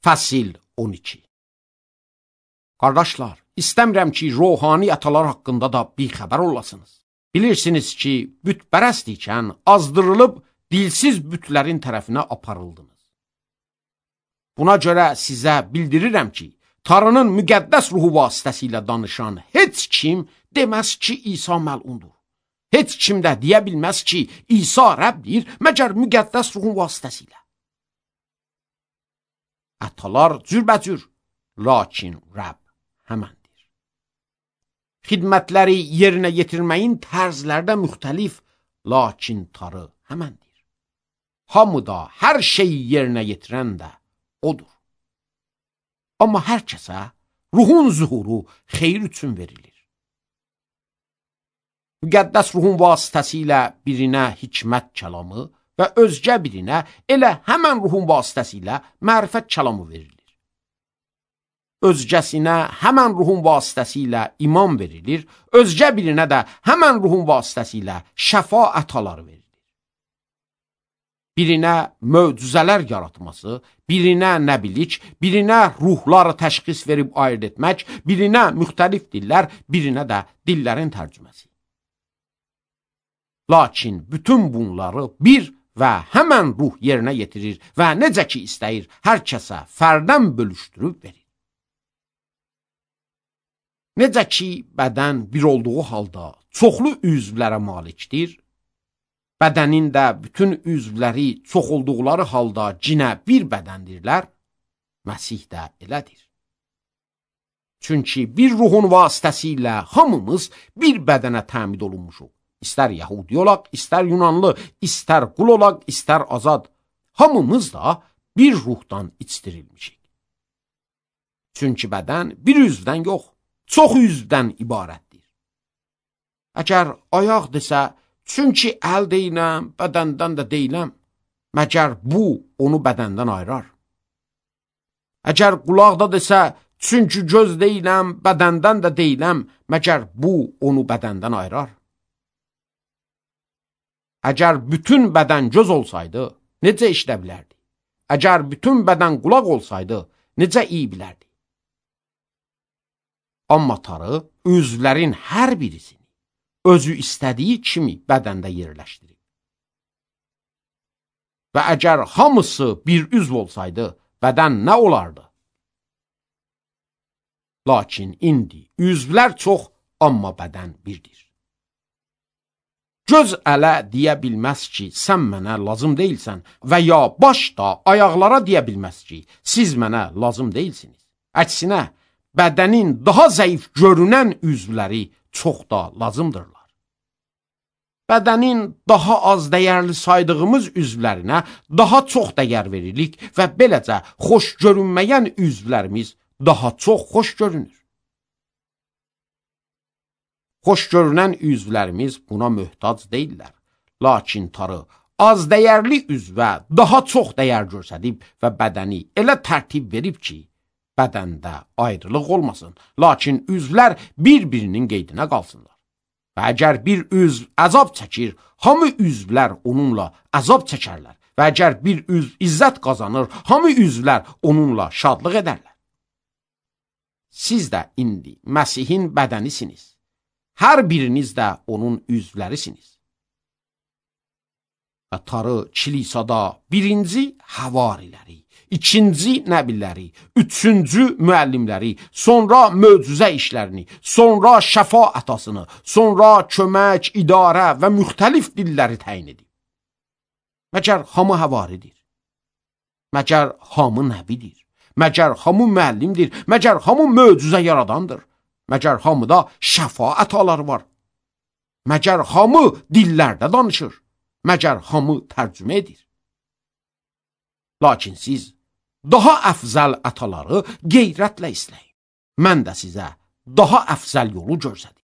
Fəsil 12. Qardaşlar, istəmirəm ki, ruhani atalar haqqında da bir xəbər olasınız. Bilirsiniz ki, bütpərəst ikən azdırılıb dilsiz bütlərin tərəfinə aparıldınız. Buna görə sizə bildirirəm ki, Tanrının müqəddəs ruhu vasitəsilə danışan heç kim deməz ki, İsa məlundur. Heç kim də deyə bilməz ki, İsa Rəbdir, məgər müqəddəs ruhun vasitəsilə. Atalar cürbəcür, lakin Rəbb həməndir. Xidmətləri yerinə yetirməyin tərzlərdə müxtəlif, lakin Tanrı həməndir. Hamıda hər şeyi yerinə yetirən də odur. Amma hər kəsə ruhun zuhuru xeyir üçün verilir. Müqəddəs ruhun vasitəsilə birinə hikmət kəlamı və özgə birinə elə həmən ruhun vasitəsilə mərifət kəlamı verilir. Özgəsinə həmən ruhun vasitəsilə iman verilir, özgə birinə də həmən ruhun vasitəsilə şəfa ətaları verilir. Birinə möcüzələr yaratması, birinə nəbilik, birinə ruhları təşxis verib ayırt etmək, birinə müxtəlif dillər, birinə də dillərin tərcüməsi. Lakin bütün bunları bir və həmən ruh yerinə yetirir və necə ki istəyir, hər kəsə fərdən bölüşdürüb verir. Necə ki bədən bir olduğu halda çoxlu üzvlərə malikdir, bədənin də bütün üzvləri çox olduqları halda cinə bir bədəndirlər, Məsih də elədir. Çünki bir ruhun vasitəsilə hamımız bir bədənə təmid olunmuşuq. İstər Yahudi olaq, istər Yunanlı, istər qul olaq, istər azad. Hamımız da bir ruhdan içdirilmişik. Çünki bədən bir üzvdən yox, çox üzvdən ibarətdir. Əgər ayaq desə, çünki əl deyiləm, bədəndən də deyiləm, məgər bu onu bədəndən ayırar. Əgər qulaq da desə, çünki göz deyiləm, bədəndən də deyiləm, məgər bu onu bədəndən ayırar. Əgər bütün bədən göz olsaydı, necə işlə bilərdi? Əgər bütün bədən qulaq olsaydı, necə iyi bilərdi? Amma Tanrı üzvlərin hər birisini özü istədiyi kimi bədəndə yerləşdirir. Və əgər hamısı bir üzv olsaydı, bədən nə olardı? Lakin indi üzvlər çox, amma bədən birdir. Göz ələ deyə bilməz ki, sən mənə lazım deyilsən və ya baş da ayaqlara deyə bilməz ki, siz mənə lazım deyilsiniz. Əksinə, bədənin daha zəif görünən üzvləri çox da lazımdırlar. Bədənin daha az dəyərli saydığımız üzvlərinə daha çox dəyər veririk və beləcə xoş görünməyən üzvlərimiz daha çox xoş görünür. Xoş görünən üzvlərimiz buna möhtac deyillər. Lakin Tanrı az dəyərli üzvə daha çox dəyər göstərib və bədəni elə tərtib verib ki, bədəndə ayrılıq olmasın, lakin üzvlər bir-birinin qeydinə qalsınlar. Və əgər bir üzv əzab çəkir, hamı üzvlər onunla əzab çəkərlər. Və əgər bir üzv izzət qazanır, hamı üzvlər onunla şadlıq edərlər. Siz də indi Məsihin bədənisiniz. Hər biriniz də onun üzvlərisiniz. Və Tanrı kilisada birinci havariləri, ikinci nəbiləri, üçüncü müəllimləri, sonra möcüzə işlərini, sonra şəfa ətasını, sonra kömək, idarə və müxtəlif dilləri təyin edib. Məgər hamı havaridir? Məgər hamı nəbidir? Məgər hamı müəllimdir? Məgər hamı möcüzə yaradandır? Məgər hamıda şəfa ətaları var? Məgər hamı dillərdə danışır? Məgər hamı tərcümə edir? Lakin siz daha əfzəl ətaları qeyrətlə istəyin. Mən də sizə daha əfzəl yolu göstərim.